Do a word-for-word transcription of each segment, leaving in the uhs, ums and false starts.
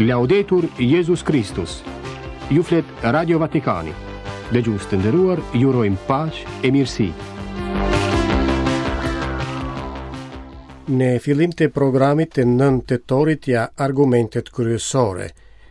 Laudetur Jezus Kristus. Ju flet Radio Vatikani. Dëgjues të nderuar, ju urojmë paqe e mirësi. Në fillim të programit të nëntë tetorit ja argumentet kryesore.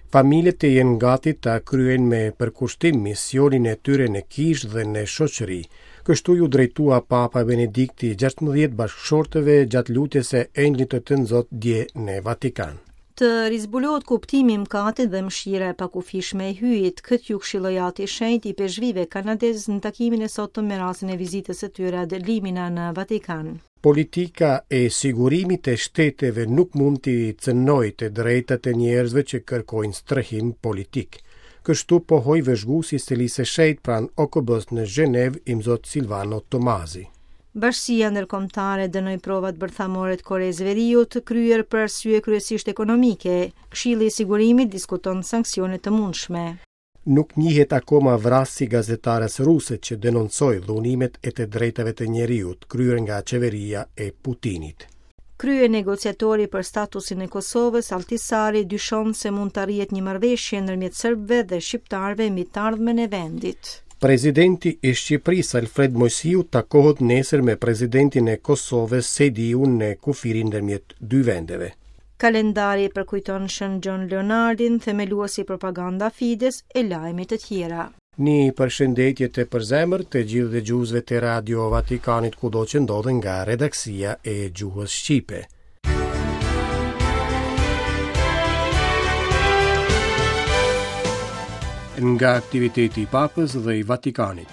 Familjet të jenë gati ta kryejnë me përkushtim misionin e tyre në kishë dhe në shoqëri. Kështu ju drejtua Papa Benedikti gjashtëmbëdhjetë bashkëshortëve gjatë lutjes së Engjëllit të Tënzot dje në Vatikan. Të rizbulohet kuptimi i mëkatit dhe mëshira e pakufishme e Hyjit, këtë ju këshilloi Ati i Shenjtë i Peshvive kanadez në takimin e sotëm me rastin e vizitës së tyre ad limina në Vatikan. Politika e sigurimit të shteteve nuk mund t'i cënojë të drejtat e njerëzve që kërkojnë strehim politik. Kështu pohoi vëzhguesi i Selisë së Shenjtë pranë O K B-s në Gjenevë, Imzot Silvano Tomasi. Bashkësia ndërkombëtare dënoi provat bërthamore të Koresë Veriut, kryer për arsye kryesisht ekonomike. Këshilli i Sigurimit diskuton sanksione të mundshme. Nuk njihet akoma vrasësi gazetares ruse që denoncoi dhunimet e të drejtave të njeriut kryer nga qeveria e Putinit. Krye negociatori për statusin e Kosovës, Altisari, dyshon se mund të arrihet një marrëveshje ndërmjet serbëve dhe shqiptarëve mbi të ardhmen e vendit. Presidenti i Shqipërisë Alfred Moisiu takohet nesër me presidentin e Kosovës Sejdiu në kufirin ndërmjet dy vendeve. Kalendari përkujton Shën Gjon Leonardin, themeluesi propaganda Fides e lajme të tjera. Një përshëndetje të përzemër të gjithë dëgjuesve të Radio Vatikanit kudo që ndodhen nga redaksia e gjuhës shqipe. Nga aktiviteti i Papës dhe i Vatikanit.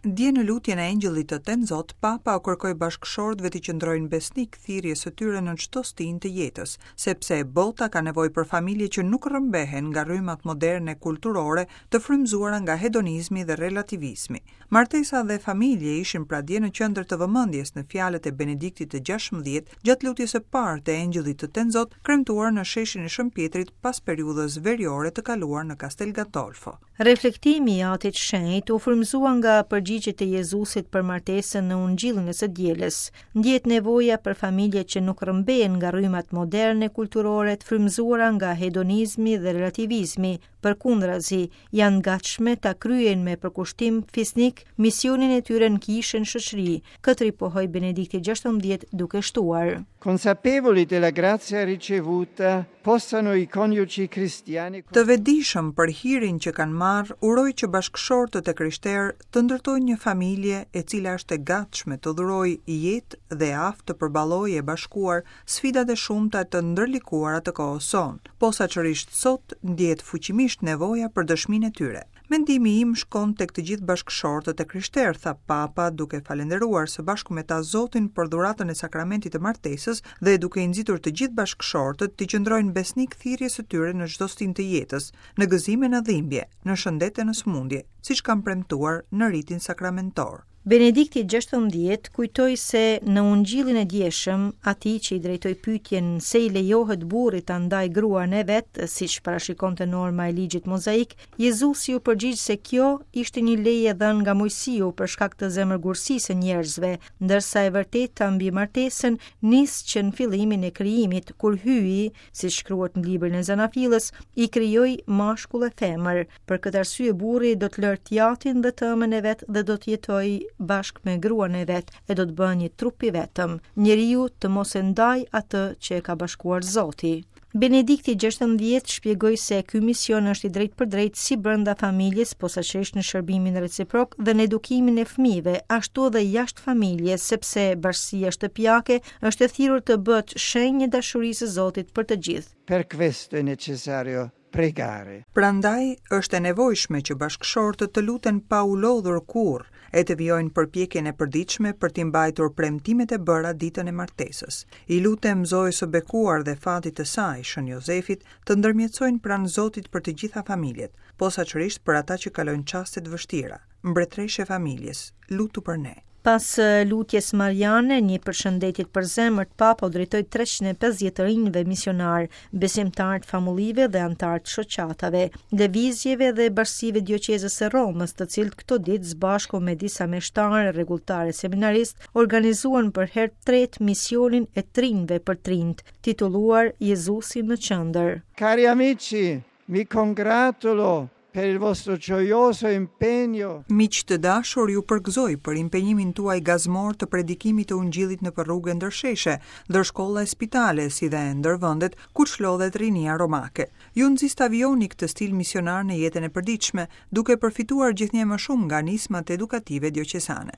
Dje në lutjen e Engjëllit të Tenzot, Papa u kërkoi bashkëshortëve të qëndrojnë besnik thirrjes së tyre në çdo stinë të jetës, sepse bota ka nevojë për familje që nuk rrëmbehen nga rrymat moderne kulturore të frymëzuara nga hedonizmi dhe relativizmi. Martesa dhe familje ishin pra dje në qendër të vëmendjes në fjalët e Benediktit të gjashtëmbëdhjetë gjatë lutjes së parë të Engjëllit të Tenzot, kremtuar në sheshin e Shën Pietrit pas periudhës veriore të kaluar në Castel Gandolfo. Reflektimi i Atit Shenjt u frymëzua nga përgjigjet e Jezusit për martesën në Ungjillin e së dielës. Ndjet nevoja për familje që nuk rrëmbehen nga rrymat moderne kulturore të frymëzuara nga hedonizmi dhe relativizmi, përkundrazi janë gatshme ta kryejnë me përkushtim fisnik misionin e tyre në kishën shoqëri. Këtë ripohoi Benedikti gjashtëmbëdhjetë duke shtuar: Consapevoli della grazia ricevuta, possano i coniugi cristiani Të vetëdijshëm për hirin që kanë marrë, uroj që bashkëshortët e krishterë të ndërtojnë një familje e cila është e gatshme të dhurojë jetë dhe e aftë të përballojë e bashkuar sfidat e shumta të ndërlikuara të kohës sonë. Posaçërisht sot ndjehet fuqimisht nevoja për dëshminë e tyre. Mendimi im shkon tek të gjithë bashkëshortët e krishterë, tha Papa, duke falendëruar së bashku me ta Zotin për dhuratën e sakramentit të martesës dhe duke i nxitur të gjithë bashkëshortët të qëndrojnë besnik thirrjes së tyre në çdo stinë të jetës, në gëzim e në dhimbje, në shëndet e në sëmundje, siç kanë premtuar në ritin sakramentor. Benedikti gjashtëmbëdhjetë kujtoi se në Ungjillin e djeshëm, atij që i drejtoi pyetjen se i lejohet burrit ta ndajë gruan e vet, siç parashikonte norma e ligjit mozaik, Jezusi u përgjigj se kjo ishte një leje dhënë nga Moisiu për shkak të zemërgursisë së njerëzve, ndërsa e vërteta mbi martesën nis që në fillimin e krijimit, kur Hyji, siç shkruhet në librin e Zanafillës, i krijoi mashkull e femër. Për këtë arsye burri do të lërë t'jatin dhe tëmën e vet dhe do të jetojë bashkë me gruan e vet e do të bëhen një trup i vetëm. Njeriu të mos e ndaj atë që e ka bashkuar Zoti. Benedikti gjashtëmbëdhjetë shpjegoi se ky mision është i drejtë për drejtë si brenda familjes, posaçërisht në shërbimin reciprok dhe në edukimin e fëmijëve, ashtu edhe jashtë familjes, sepse bashkësia shtëpiake është e thirrur të bëhet shenjë e dashurisë së Zotit për të gjithë. Per questo è necessario pregare. Prandaj është e nevojshme që bashkëshortët të luten pa u lodhur kurrë e të vijojnë përpjekjen e përditshme për t'i mbajtur premtimet e bëra ditën e martesës. I lutem Zojës së bekuar dhe fatit të saj, Shën Jozefit, të ndërmjetësojnë pranë Zotit për të gjitha familjet, posaçërisht për ata që kalojnë çaste të vështira. Mbretëreshë e familjes, lutu për ne. Pas lutjes mariane, një përshëndetje të përzemërt Papa u drejtoi treqind e pesëdhjetë të rinjve misionar, besimtarë të famullive dhe anëtarë të shoqatave, lëvizjeve dhe bashkësive dioqezës së Romës, të cilët këto ditë së bashku me disa meshtarë, rregulltarë e seminaristë organizuan për herë të tretë misionin e të rinjve për të rinjt, titulluar Jezusi në qendër. Cari amici, mi congratulo per il vostro gioioso impegno. Miq të dashur, ju përgëzoj për impenjimin tuaj gazmor të predikimit të Ungjillit nëpër rrugë e ndër sheshe, ndër shkolla e spitale, si dhe ndër vendet ku çlodhet rinia romake. Ju nxis ta vijoni këtë stil misionar në jetën e përditshme, duke përfituar gjithnjë më shumë nga nismat edukative dioqesane.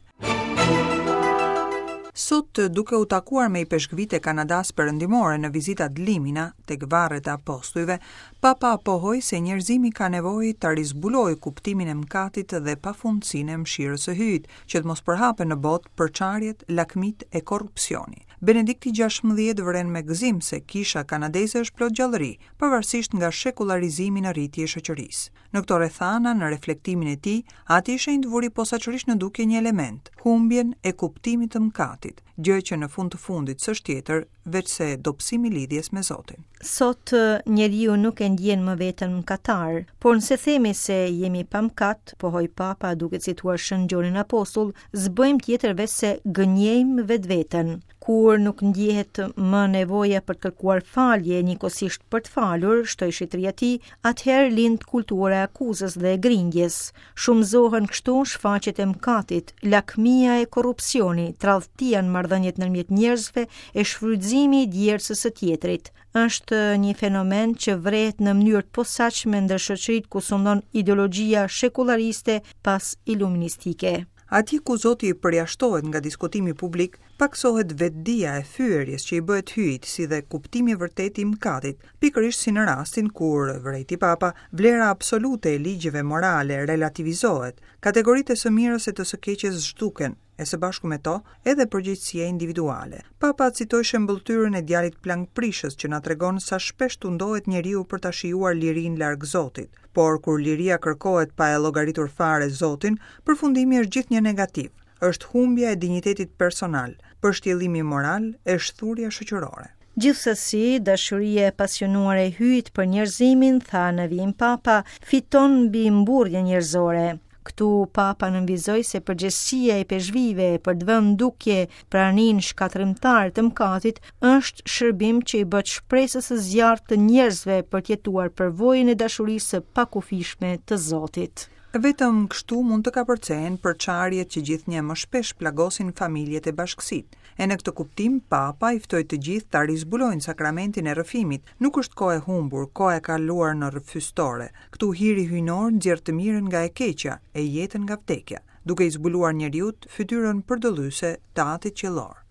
Sot, duke u takuar me ipeshkvit e Kanadas perëndimore në vizitat Limina tek varret e apostujve, Papa pohoi se njerëzimi ka nevojë ta rizbulojë kuptimin e mëkatit dhe pafundësinë e mëshirës së Hyjit, që të mos përhapen në botë përçarjet, lakmit e korrupsioni. Benedikti gjashtëmbëdhjetë vren me gëzim se kisha kanadeze është plot gjallëri, pavarësisht nga shekullarizimi në rritje i shoqërisë. Në këto rrethana, në reflektimin e tij, Ati i Shenjtë vuri posaçërisht në dukje një element, humbjen e kuptimit të mëkatit, gjë që në fund të fundit s'është tjetër veçse dobësimi i lidhjes me Zotin. Sot njeriu nuk e ndjen më veten mëkatar, por nëse themi se jemi pa mëkat, pohoi Papa duke cituar Shën Gjonin Apostull, s'bëjmë tjetër veçse gënjejmë vetveten. Kur nuk ndjehet më nevoja për të kërkuar falje njëkohësisht për të falur, shtoi shitria e tij, atëherë lind kultura e akuzës dhe e grindjes. Shumëzohen kështu shfaqjet e mëkatit, lakmia e korrupsioni, tradhtia në marrëdhëniet ndërmjet njerëzve e shfrytëzimi i djersës së tjetrit. Është një fenomen që vret në mënyrë të posaçme ndër shoqëritë ku sundon ideologjia shekulariste pas iluministike. Atje ku Zoti i përjashtohet nga diskutimi publik, paksohet vetëdija e fyerjes që i bëhet Hyjit, si dhe kuptimi i vërtetë i mëkatit, pikërisht si në rastin kur, vërejti Papa, vlera absolute e ligjeve morale relativizohet, kategoritë e së mirës e të së keqes zhduken, e së bashku me to edhe përgjegjësia individuale. Papa citoi shembulltyrën e djalit plangprishës që na tregon sa shpesh tundohet njeriu për ta shijuar lirinë larg Zotit. Por kur liria kërkohet pa e llogaritur fare Zotin, përfundimi është gjithnjë negativ. Është humbja e dinjitetit personal, përshtjellimi moral e shthurja shoqërore. Gjithsesi, dashuria e pasionuar e Hyjit për njerëzimin, tha në vijim Papa, fiton mbi mburrjen njerëzore. Këtu Papa nënvizoi se përgjegjësia e peshvive për të vënë dukje praninë shkatërrimtare të mëkatit është shërbim që i bëhet shpresës së zjarrit të njerëzve për të jetuar përvojën e dashurisë së pakufishme të Zotit. Vetëm kështu mund të kapërcehen përçarjet që gjithnjë më shpesh plagosin familjet e bashkësitë. E në këtë kuptim, Papa i ftoi të gjithë ta rizbulojnë sakramentin e rrëfimit. Nuk është kohë e humbur, kohë e kaluar në rrëfystore. Këtu hiri hyjnor nxjerr të mirën nga e keqja e jetën nga vdekja, duke i zbuluar njeriut fytyrën përdëllyse të Atit Qiellor.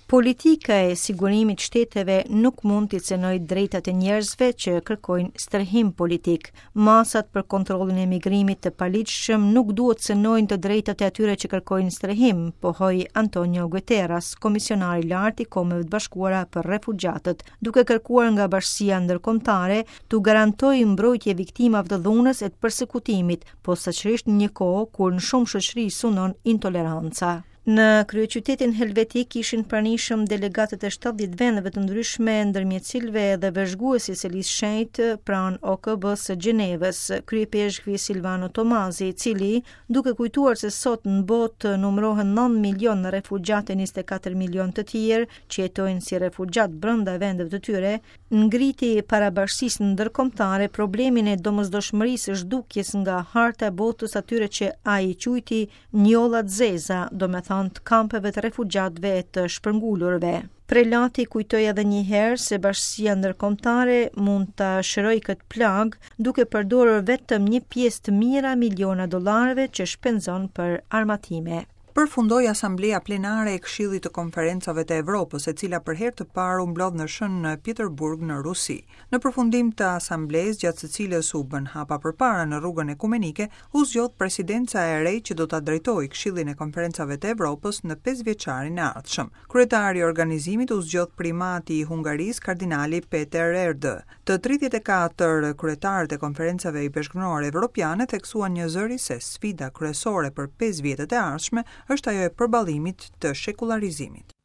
Politika e sigurimit shteteve nuk mund t'i cenojë drejtat e njerëzve që kërkojnë strehim politik. Masat për kontrollin e migrimit të paligjshëm nuk duhet cenojnë të drejtat e atyre që kërkojnë strehim, pohoi Antonio Guterres, komisionari i lartë i Kombeve të Bashkuara për Refugjatët, duke kërkuar nga bashkësia ndërkombëtare t'u garantojë mbrojtje viktimave të dhunës e të persekutimit, posaçërisht në një kohë kur në shumë shoqëri sundon intoleranca. Në kryeqytetin helvetik ishin pranishëm delegatët e shtatëdhjetë vendeve të ndryshme, ndërmjet cilëve edhe vëzhguesi i Selisë Shenjtë pranë O K B së Gjenevës, kryepeshkvi Silvano Tomazi, i cili, duke kujtuar se sot në botë numërohen nëntë milion refugjatë e njëzet e katër milion të tjerë që jetojnë si refugjat brenda vendeve të tyre, ngriti para bashkësisë ndërkombëtare problemin e domosdoshmërisë së zhdukjes nga harta e botës atyre që ai i quajti njollat zeza, domethënë të kampeve të refugjatëve e të shpërngulurve. Prelati kujtoi edhe një herë se bashkësia ndërkombëtare mund ta shërojë këtë plagë duke përdorur vetëm një pjesë të mijëra miliona dollarëve që shpenzon për armatime. Përfundoi Asambleja Plenare e Këshillit të Konferencave të Evropës, e cila për herë të parë u mblodh në Shën Peterburg në Rusi. Në përfundim të asamblesë, gjatë së cilës u bën hapa përpara në rrugën ekumenike, u zgjodh presidenca e re që do ta drejtojë Këshillin e Konferencave të Evropës në pesë vjeçarin e ardhshëm. Kryetari i organizimit u zgjodh primati i Hungarisë, kardinali Peter Erdő. Të tridhjetë e katër kryetarët e konferencave ipeshkvnore evropiane theksuan një zëri se sfida kryesore për pesë vjetët e ardhshme është ajo e përballimit të shekullarizimit.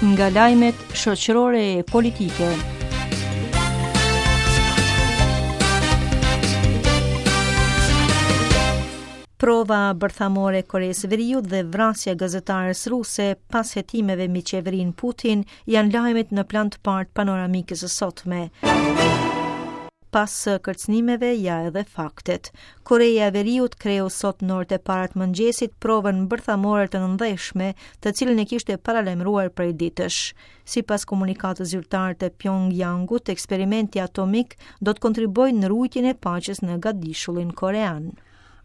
Nga lajmet shoqërore e politike. Prova bërthamore e Koresë Veriut dhe vrasja e gazetares ruse pas hetimeve mbi qeverinë Putin janë lajmet në plan të parë të panoramikës së sotme. Pas kërcënimeve ja edhe faktet. Koreja e Veriut kreu sot në orët e para të mëngjesit provën bërthamore të nëndheshme, të cilën e kishte paralajmëruar prej ditësh. Sipas komunikatës zyrtare të Pyongyangut, eksperimenti atomik do të kontribuojë në ruajtjen e paqes në gadishullin korean.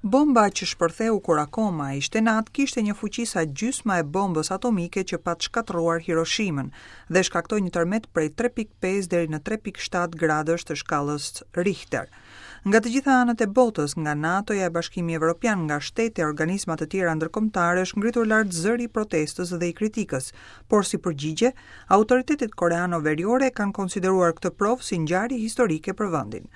Bomba që shpërtheu kur akoma ishte natë kishte një fuqi sa gjysma e bombës atomike që pat shkatërruar Hiroshimën dhe shkaktoi një tërmet prej tre pikë pesë deri në tre pikë shtatë gradësh të shkallës Richter. Nga të gjitha anët e botës, nga NATO-ja e Bashkimi Evropian, nga shtete e organizma të tjera ndërkombëtare është ngritur lart zëri i protestës dhe i kritikës, por si përgjigje, autoritetet koreano-veriore kanë konsideruar këtë provë si ngjarje historike për vendin.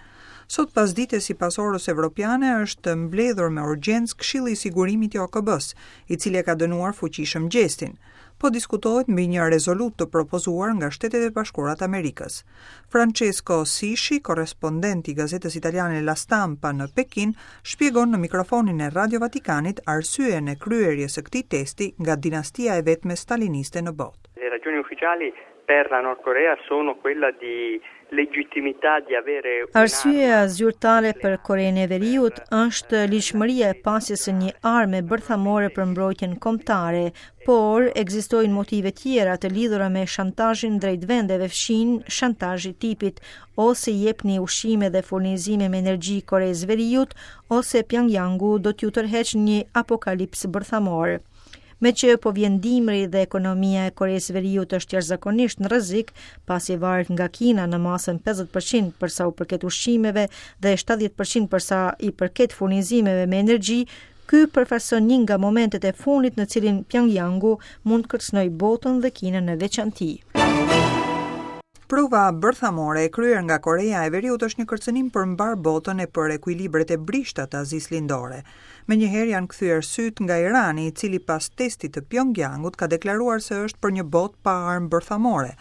Sot pasdite sipas orës evropiane është mbledhur me urgjencë Këshilli i Sigurimit i O K B-s, i cili e ka dënuar fuqishëm gjestin. Po diskutohet mbi një rezolutë të propozuar nga Shtetet e Bashkuara të Amerikës. Francesco Sisci, korrespondent i gazetës italiane La Stampa në Pekin, shpjegon në mikrofonin e Radio Vatikanit arsyen e kryerjes së këtij testi nga dinastia e vetme staliniste në botë. Le ragioni ufficiali per la Nord Corea sono quella di legittimità di avere un'arma. Arsyeja zyrtare për Korenë e Veriut është ligjshmëria e pasjes së një arme bërthamore për mbrojtjen kombëtare, por ekzistojnë motive tjera të lidhura me shantazhin drejt vendeve fqinj, shantazhi tipit ose jepni ushqime dhe furnizime me energji Koresë Veriut, ose Pyongyangu do t'ju tërheq një apokalips bërthamor. Me që po vjen dimri dhe ekonomia e Koresë Veriut është jashtëzakonisht në rrezik, pasi varet nga Kina në masën pesëdhjetë përqind për sa u përket ushqimeve dhe shtatëdhjetë përqind për sa i përket furnizimeve me energji, ky përfaqëson një nga momentet e fundit në cilin Pyongyangu mund të kërcënojë botën dhe Kinën në veçanti. Prova bërthamore e kryer nga Korea e Veriut është një kërcënim për mbar botën e për ekuilibret e brishta të Azisë Lindore. Menjëherë janë kthyer syt nga Irani, i cili pas testit të Pyongyangut ka deklaruar se është për një botë pa armë bërthamore.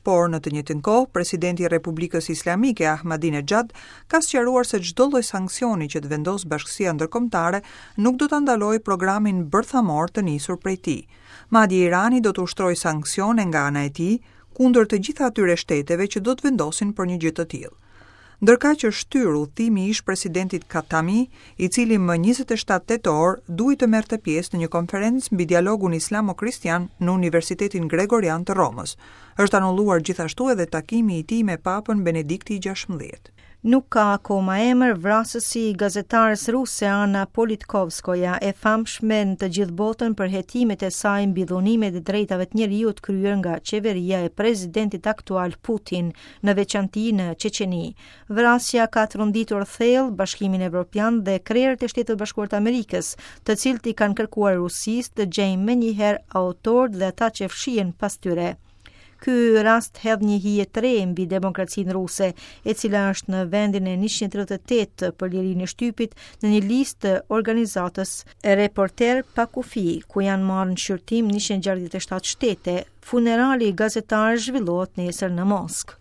Por në të njëjtën kohë, presidenti i Republikës Islamike Ahmadinejad ka sqaruar se çdo lloj sanksioni që të vendos bashkësia ndërkombëtare nuk do ta ndalojë programin bërthamor të nisur prej tij. Madje Irani do të ushtrojë sanksione nga ana e tij kundër të gjitha atyre shteteve që do të vendosin për një gjë të tillë. Ndërkaq është shtyrë udhëtimi i ish-presidentit Khatami, i cili më njëzet e shtatë tetor duhej të merrte pjesë në një konferencë mbi dialogun islamo-kristian në Universitetin Gregorian të Romës. Është anulluar gjithashtu edhe takimi i tij me Papën Benedikti i gjashtëmbëdhjetë. Nuk ka akoma emër vrasësi i gazetares ruse Anna Politkovskoja, e famshme në të gjithë botën për hetimet e saj mbi dhunimet e drejtave të njeriut kryer nga qeveria e presidentit aktual Putin, në veçanti në Çeçeni. Vrasja ka tronditur thellë Bashkimin Evropian dhe krerët e Shteteve të Bashkuara të Amerikës, të cilët i kanë kërkuar Rusisë të gjejnë menjëherë autorët dhe ata që fshihen pas tyre. Ky rast hedh një hije të re mbi demokracinë ruse, e cila është në vendin e njëqind e tridhjetë e tetë për lirinë e shtypit në një listë të organizatës Reporter pa Kufi, ku janë marrë në shqyrtim njëqind e gjashtëdhjetë e shtatë shtete. Funerali i gazetarëve zhvillohet nesër në Moskë.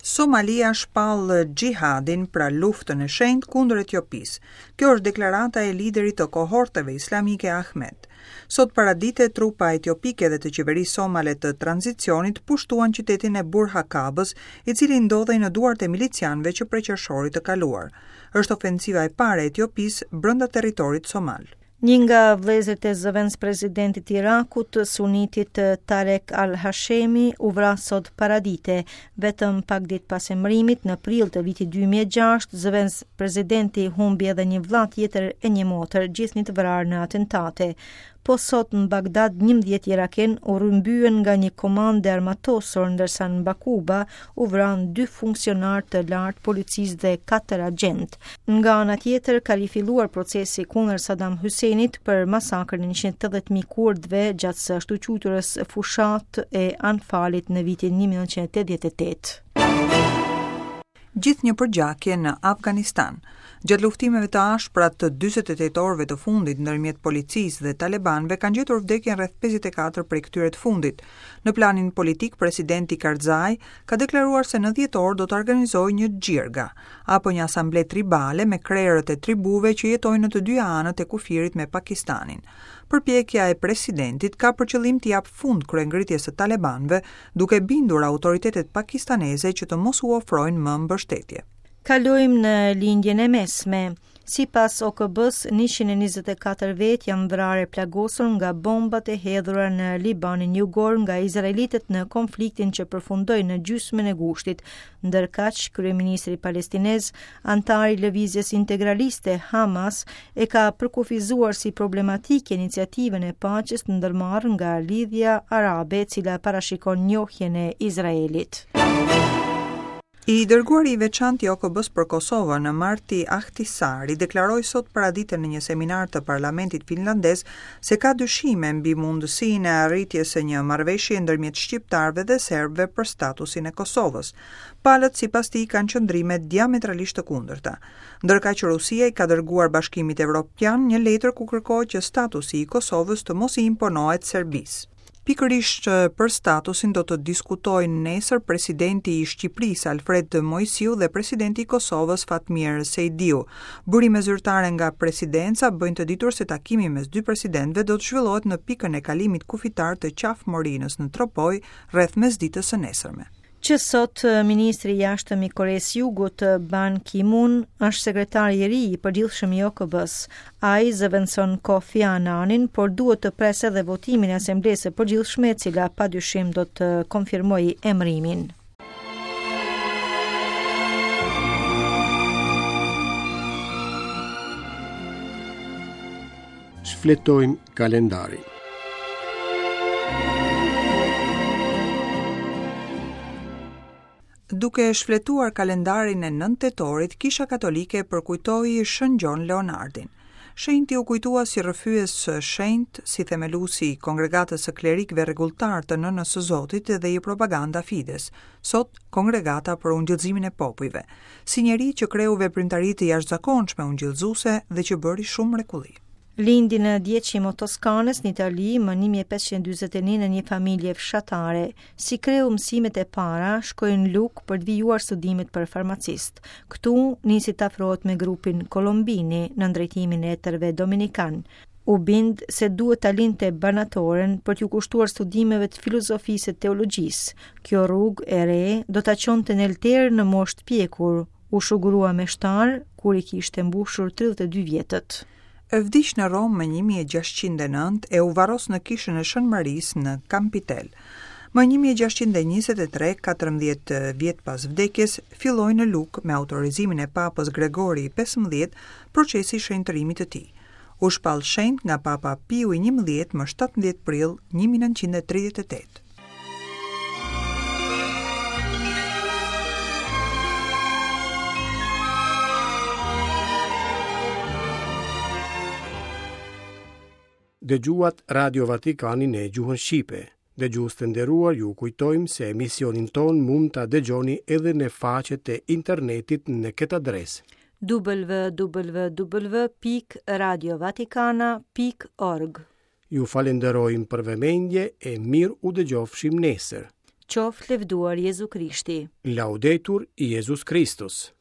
Somalia shpall xhihadin, pra luftën e shenjtë kundër Etiopisë. Kjo është deklarata e liderit të kohorteve islamike Ahmed. Sot paradite trupa etiopike dhe të qeverisë somale të tranzicionit pushtuan qytetin e Burhakabës, i cili ndodhej në duart e milicianëve që prej qershorit të kaluar. Është ofensiva e parë e Etiopisë brenda territorit somal. Një nga vëllezërit e zëvendëspresidentit të Irakut, sunitit Tarek Al-Hashemi, u vra sot paradite, vetëm pak ditë pas emërimit në prill të vitit dy mijë e gjashtë, zëvendëspresidenti humbi edhe një vëlla tjetër e një motër, gjithnjë të vrarë në atentate. Po sot në Bagdad njëmbëdhjetë iraken u rrëmbyen nga një komandë e armatosur, ndërsa në Bakuba u vranë dy funksionarë të lartë policisë dhe katër agjentë. Nga ana tjetër ka rifilluar procesi kundër Saddam Husseinit për masakrën e njëqind e tetëdhjetë mijë kurdëve gjatë së ashtuquajturës fushatë e Anfalit në vitin një mijë e nëntëqind e tetëdhjetë e tetë. Gjithë një përgjakje në Afganistan. Gjatë luftimeve të ashpra të dyzet e tetë orëve të fundit ndërmjet policisë dhe talebanëve kanë gjetur vdekjen rreth pesëdhjetë e katër prej këtyre të fundit. Në planin politik, presidenti Karzai ka deklaruar se në dhjetor do të organizojë një xhirga apo një asamble tribale me krerët e tribuve që jetojnë në të dyja anët e kufirit me Pakistanin. Përpjekja e presidentit ka për qëllim t'i japë fund kryengritjes së talebanëve, duke bindur autoritetet pakistaneze që të mos u ofrojnë më mbështetje. Kalojmë në lindjen e mesme. Sipas O K B-s, njëqind e njëzet e katër vetë janë vrarë e plagosur nga bombat e hedhura në Libanin jugor nga izraelitët në konfliktin që përfundoi në gjysmën e gushtit. Ndërkaq, kryeministri palestinez, antari i lëvizjes integraliste Hamas, e ka përkufizuar si problematike iniciativën e paqes të ndërmarrë nga Lidhja Arabe, e cila parashikon njohjen e Izraelit. I dërguari i veçantë i O K B-s për Kosovën, Martti Ahtisaari, deklaroi sot paradite në një seminar të Parlamentit finlandez se ka dyshime mbi mundësinë e arritjes së një marrëveshje ndërmjet shqiptarëve dhe serbëve për statusin e Kosovës. Palët sipas tij kanë qëndrime diametralisht të kundërta. Ndërkaq Rusia i ka dërguar Bashkimit Evropian një letër ku kërkohet që statusi i Kosovës të mos i imponohet Serbisë. Pikërisht për statusin do të diskutojnë nesër presidenti i Shqipërisë Alfred Moisiu dhe presidenti i Kosovës Fatmir Sejdiu. Burime zyrtare nga presidenca bëjnë të ditur se takimi mes dy presidentëve do të zhvillohet në pikën e kalimit kufitar të Qafë Morinës në Tropojë rreth mesditës së nesërme. Që sot, ministri i jashtëm i Koresë Jugut, Ban Ki-moon, është sekretari i ri i përgjithshëm i O K B-s. Ai zëvendëson Kofi Annanin, por duhet të presë edhe votimin e Asamblesë së Përgjithshme, e cila padyshim do të konfirmojë emrimin. Shfletojmë kalendarin. Duke shfletuar kalendarin e nëntë tetorit, Kisha Katolike përkujtoi Shën Gjon Leonardin. Shenjti u kujtua si rrëfyes shenjt, si themeluesi i kongregatës së klerikëve rregulltar të Nënës së Zotit dhe i Propaganda Fides, sot Kongregata për Ungjillëzimin e Popujve, si njeri që kreu veprimtari të jashtëzakonshme ungjillëzuese dhe që bëri shumë mrekulli. Lindi në Diecimo Toskanës në Itali më një mijë e pesëqind e dyzet e një në një familje fshatare. Si kreu mësimet e para, shkoi në Luk për të vijuar studimet për farmacist. Këtu nisi të afrohet me grupin Kolombini në drejtimin e etërve dominikan. U bind se duhet ta linte banatoren për t'ju kushtuar studimeve të filozofisë e teologjisë. Kjo rrugë e re do ta çonte në alter në moshë të pjekur. U shugurua me shtar kur i kishte mbushur tridhjetë e dy vjetët. Vdiq në Romë më një mijë e gjashtëqind e nëntë e u varros në kishën e Shën Marisë në Campitel. Më një mijë e gjashtëqind e njëzet e tre, katërmbëdhjetë vjet pas vdekjes, filloi në Luk me autorizimin e Papës Gregori i pesëmbëdhjetë procesi i shenjtërimit të tij. U shpall shenjt nga Papa Piu i njëmbëdhjetë më shtatëmbëdhjetë prill një mijë e nëntëqind e tridhjetë e tetë. Dëgjuat Radio Vatikanin në gjuhën shqipe. Dëgjues të nderuar, ju kujtojmë se emisionin ton mund ta dëgjoni edhe në faqet e internetit në këtë adresë: w w w pikë radio vatikana pikë org. Ju falenderojmë për vëmendje e mirë u dëgjofshim nesër. Qoftë lëvduar Jezu Krishti. Laudetur Jezus Kristus.